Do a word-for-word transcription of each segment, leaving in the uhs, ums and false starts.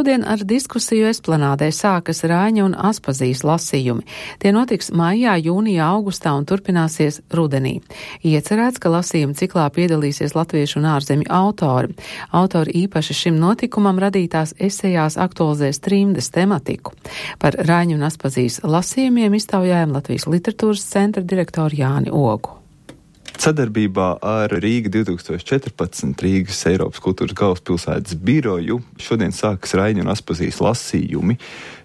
Šodien ar diskusiju esplanādē sākas Raiņa un Aspazijas lasījumi. Tie notiks maijā, jūnijā, augustā un turpināsies rudenī. Iecerēts, ka lasījuma ciklā piedalīsies latviešu un ārzemju autori. Autori īpaši šim notikumam radītās esejās aktualizēs trimdes tematiku. Par Raiņa un Aspazijas lasījumiem iztaujājam Latvijas literatūras centra direktoru Jāni Ogu. Sadarbībā ar Rīga divi tūkstoši četrpadsmit Rīgas Eiropas kultūras galvaspilsētas biroju šodien sākas Raiņa un Aspazijas lasījumi,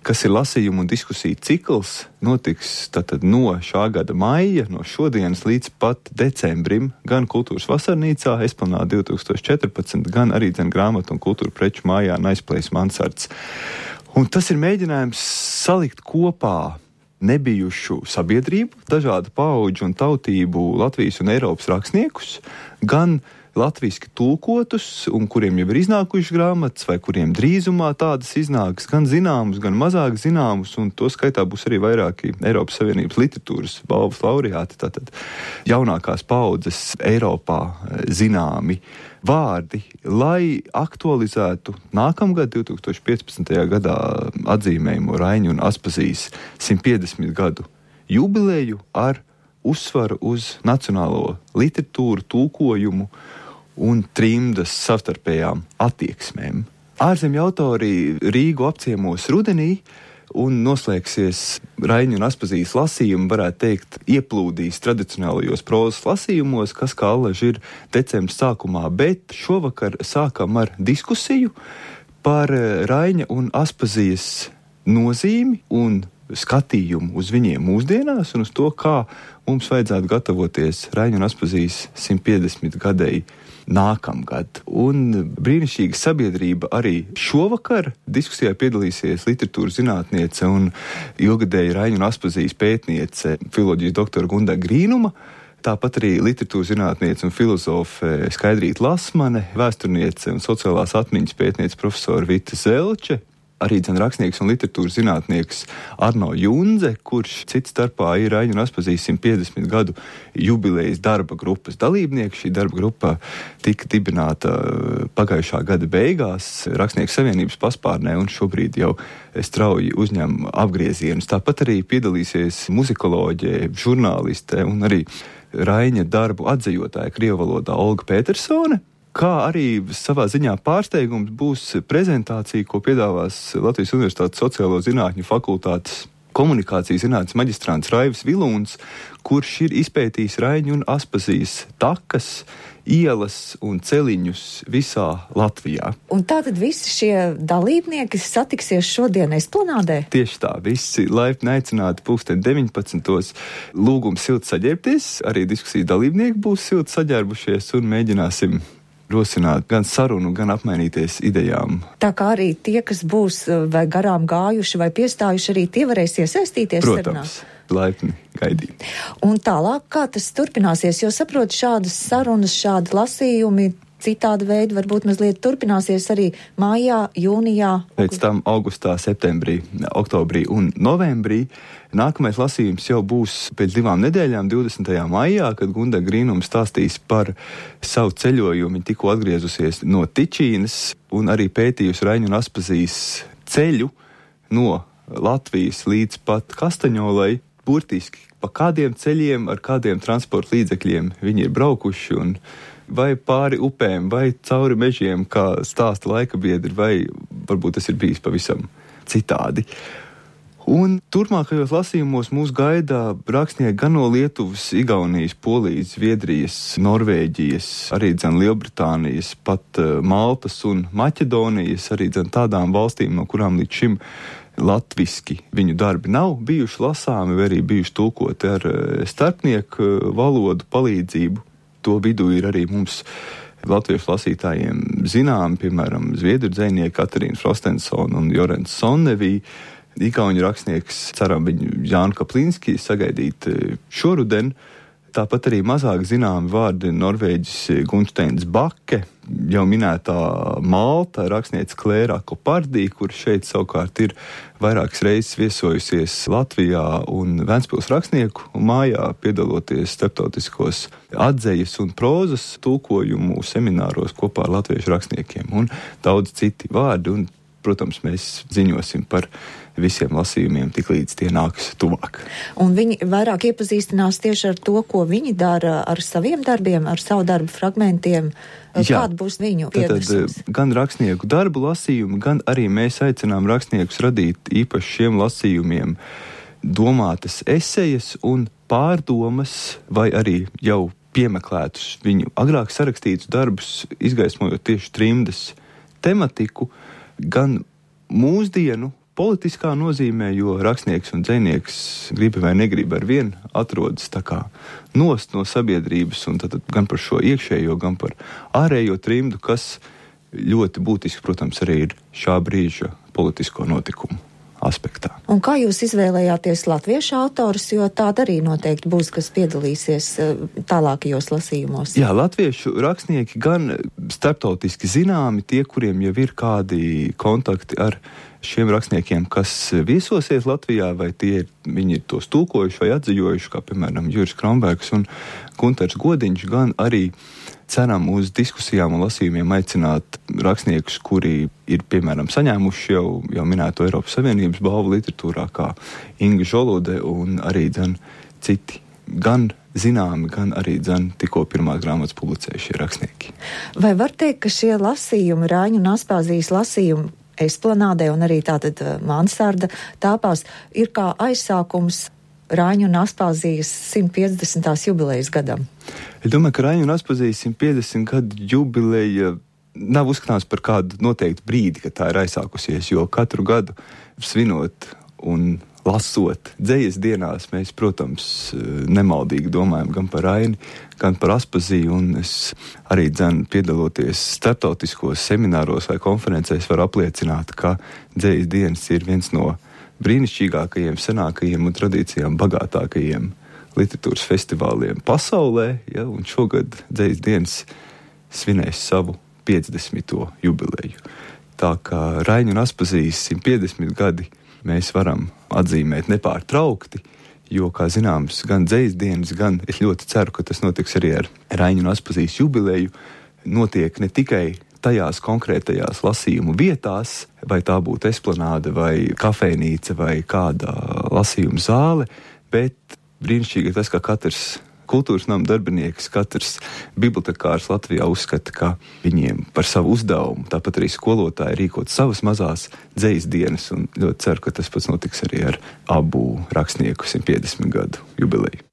kas ir lasījumu un diskusiju cikls, notiks tātad no šā gada maija, no šodienas līdz pat decembrim, gan Kultūras vasarnīcā, Esplanāde divi tūkstoši četrpadsmit, gan arī dzen grāmatu un kultūra preču mājā Nice Place Mansards. Un tas ir mēģinājums salikt kopā nebijušu sabiedrību, dažādu paudžu un tautību Latvijas un Eiropas rakstniekus, gan latviski tulkotus, un kuriem jau ir iznākušas grāmatas, vai kuriem drīzumā tādas iznāks, gan zināmus, gan mazāk zināmus, un to skaitā būs arī vairāki Eiropas Savienības literatūras balvas laureāti, tātad jaunākās paudzes Eiropā zināmi vārdi, lai aktualizētu nākamgad, divi tūkstoši piecpadsmitajā gadā atzīmējumu Raiņa un Aspazijas simt piecdesmit gadu jubileju ar uzsvaru uz nacionālo literatūru, tulkojumu un trimdas savstarpējām attieksmēm. Ārzemju autori Rīgu apciemos rudenī, un noslēgsies Raiņa un Aspazijas lasījumi, varētu teikt, ieplūdīs tradicionālajos prozas lasījumos, kas kā allaži ir decembra sākumā, bet šovakar sākam ar diskusiju par Raiņa un Aspazijas nozīmi un skatījumu uz viņiem mūsdienās un uz to, kā mums vajadzētu gatavoties Raiņa un Aspazijas simt piecdesmit gadēji nākamgad. Un brīnišķīga sabiedrība arī šovakar diskusijā piedalīsies literatūras zinātniece un ilgadēja Raiņa un Aspazijas pētniece, filoloģijas doktora Gunda Grīnuma, tāpat arī literatūras zinātniece un filozofe Skaidrīta Lasmane, vēsturniece un sociālās atmiņas pētniece profesora Vita Zelče, arī dzen rakstnieks un literatūras zinātnieks Arno Junze, kurš cits starpā ir Raiņa un Aspazijas simt piecdesmit gadu jubilejas darba grupas dalībnieks. Šī darba grupa tika dibināta pagājušā gada beigās Rakstnieku savienības paspārnē un šobrīd jau strauji uzņem apgriezienus. Tāpat arī piedalīsies muzikoloģe, žurnāliste un arī Raiņa darbu atzejotāja krievu valodā Olga Petersone. Kā arī savā ziņā pārsteigums būs prezentācija, ko piedāvās Latvijas Universitātes sociālo zinātņu fakultātes komunikācijas zinātnes maģistrants Raivis Vilūns, kurš ir izpētījis Raiņa un Aspazijas takas, ielas un celiņus visā Latvijā. Un tātad visi šie dalībnieki satiksies šodien Esplanādē? Tieši tā, visi laipni aicināti pulksten deviņpadsmitos. Lūgums silti saģērbties, arī diskusiju dalībnieki būs silti saģērbušies un mēģināsim rosināt gan sarunu, gan apmainīties idejām. Tā kā arī tie, kas būs vai garām gājuši vai piestājuši, arī tie varēs iesaistīties sarunā? Protams, laipni gaidīt. Un tālāk, kā tas turpināsies, jo saprot šādas sarunas, šādi lasījumi, citāda veida varbūt mazliet turpināsies arī mājā, jūnijā. Pēc tam augustā, septembrī, oktobrī un novembrī. Nākamais lasījums jau būs pēc divām nedēļām, divdesmitajā maijā, kad Gunda Grīnuma stāstīs par savu ceļojumu. Viņa tikko atgriezusies no Tičīnas un arī pētījusi Raiņa un Aspazijas ceļu no Latvijas līdz pat Kastaņolai. Burtiski pa kādiem ceļiem, ar kādiem transporta līdzekļiem viņi ir braukuši un vai pāri upēm, vai cauri mežiem, kā stāsta laikabiedri, vai varbūt tas ir bijis pavisam citādi. Un turpmākajos lasījumos mūs gaida rakstnieki gan no Lietuvas, Igaunijas, Polijas, Zviedrijas, Norvēģijas, arī dzen Lielbritānijas, pat Maltas un Maķedonijas, arī dzen tādām valstīm, no kurām līdz šim latviski viņu darbi nav bijuši lasāmi, vai arī bijuši tulkoti ar starpnieku valodu palīdzību. To vidū ir arī mums latviešu lasītājiem zinām, piemēram, zviedru dzejnieki Katarīna Frostensona un Jorens Sonnevī, igauņu rakstnieks, ceram viņu Jānu Kaplinski sagaidīt šoruden. Tāpat arī mazāk zināmi vārdi norvēģis Gunsteins Bakke, jau minētā Malta rakstniece Klēra Kopardī, kur šeit savukārt ir vairākas reizes viesojusies Latvijā un Ventspils rakstnieku mājā, piedaloties starptautiskos atzejas un prozas tulkojumu semināros kopā ar latviešu rakstniekiem un daudz citi vārdi. Un, protams, mēs ziņosim par visiem lasījumiem, tik līdz tie nāks tuvāk. Un viņi vairāk iepazīstinās tieši ar to, ko viņi dara ar saviem darbiem, ar savu darbu fragmentiem. Jā. Kāda būs viņu pienesums? Tad gan rakstnieku darbu lasījumi, gan arī mēs aicinām rakstniekus radīt īpaši šiem lasījumiem domātas esejas un pārdomas, vai arī jau piemeklētus viņu agrāk sarakstītus darbus, izgaismojot tieši trimdas tematiku, gan mūsdienu politiskā nozīmē, jo rakstnieks un dzejnieks gribi vai negribi ar vien atrodas tā kā nost no sabiedrības, un tad gan par šo iekšējo, gan par ārējo trimdu, kas ļoti būtiski, protams, arī ir šā brīža politisko notikumu aspektā. Un kā jūs izvēlējāties latviešu autorus, jo tāda arī noteikti būs, kas piedalīsies tālākajos lasījumos? Jā, latviešu rakstnieki gan starptautiski zināmi, tie, kuriem jau ir kādi kontakti ar šiem rakstniekiem, kas viesosies Latvijā, vai tie viņi ir tos tulkojuši vai atziņojuši, kā piemēram Juris Kronbergs un Gunters Godiņš, gan arī ceram uz diskusijām un lasījumiem aicināt rakstniekus, kuri ir, piemēram, saņēmuši jau, jau minēto Eiropas Savienības balvu literatūrā, kā Inga Žolude un arī dzen citi, gan zināmi, gan arī dzen tikko pirmās grāmatas publicējušie rakstnieki. Vai var teikt, ka šie lasījumi, Raiņu un Aspazijas lasījumi Esplanādē un arī tātad Mansarda tāpās ir kā aizsākums Raiņu un Aspazijas simt piecdesmitās jubilejas gadam? Es domāju, ka Raiņu un Aspazijas simt piecdesmit gadu jubileja nav uzskatāms par kādu noteiktu brīdi, kad tā ir aizsākusies, jo katru gadu svinot un lasot dzejas dienās, mēs, protams, nemaldīgi domājam gan par Raini, gan par Aspaziju, un es arī dzen piedaloties starptautiskos semināros vai konferencēs var apliecināt, ka dzejas dienas ir viens no brīnišķīgākajiem, senākajiem un tradīcijām bagātākajiem literatūras festivāliem pasaulē, ja, un šogad dzejas dienas svinēs savu piecdesmito jubileju. Tā kā Raiņu un Aspazijas simt piecdesmit gadi mēs varam atzīmēt nepārtraukti, jo, kā zināms, gan dzejas dienas, gan es ļoti ceru, ka tas notiks arī ar Raiņu un Aspazijas jubileju, notiek ne tikai tajās konkrētajās lasījumu vietās, vai tā būtu esplanāde, vai kafejnīca, vai kāda lasījuma zāle, bet brīnišķīgi ir tas, ka katrs kultūras nama darbinieks, katrs bibliotekārs Latvijā uzskata, ka viņiem par savu uzdevumu, tāpat arī skolotāji rīkot savas mazās dzejas dienas, un ļoti ceru, ka tas pats notiks arī ar abu rakstnieku simt piecdesmit gadu jubileju.